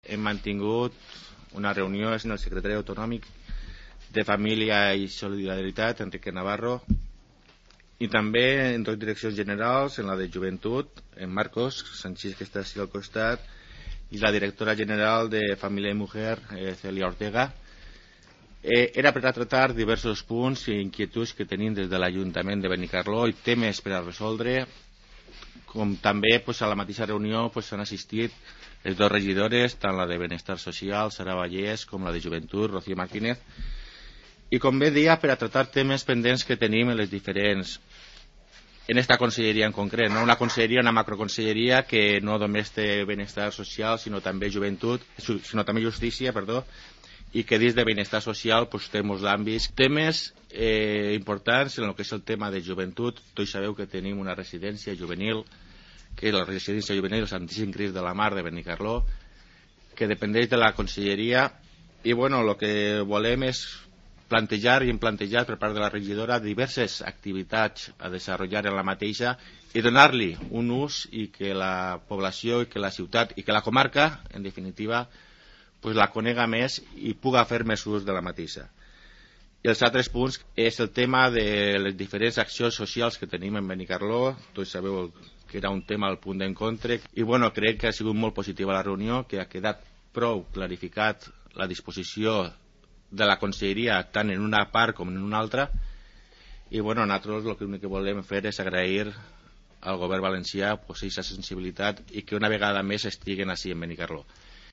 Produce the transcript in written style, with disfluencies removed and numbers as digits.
hem mantingut una reunió amb el secretari autonòmic de Família i Solidaritat, Enrique Navarro, i també en dues direccions generals, en la de Joventut, en Marcos Sanchís, que està així al costat, i la directora general de Família i Mujer, Celia Ortega. Era per a tractar diversos punts i inquietuds que tenim des de l'Ajuntament de Benicarló i temes per a resoldre, com també a la mateixa reunió s'han assistit les dues regidores, tant la de Benestar Social, Sara Vallès, com la de Joventut, Rocío Martínez, i com bé deia, per a tractar temes pendents que tenim en les diferents, en esta conselleria en concret, no? Una conselleria, una macroconselleria que no només té benestar social, sinó també joventut, sinó també justícia, perdó, i que dins de benestar social té molts àmbits. Temes importants en el que és el tema de joventut. Tots sabeu que tenim una residència juvenil, que és la residència juvenil Santíssim Crist de la Mar de Benicarló, que dependeix de la conselleria, i bueno, el que volem és plantejar i hem plantejat per part de la regidora diverses activitats a desenvolupar en la mateixa i donar-li un ús i que la població i que la ciutat i que la comarca, en definitiva, la conega més i puga fer més ús de la mateixa. I els altres punts és el tema de les diferents accions socials que tenim en Benicarló. Tots sabeu que era un tema al punt d'encontre i bueno, crec que ha sigut molt positiva la reunió, que ha quedat prou clarificat la disposició de la conselleria tant en una part com en una altra, i bueno, nosaltres el únic que volem fer és agrair al govern valencià aquesta sensibilitat i que una vegada més estiguen així en Benicarló.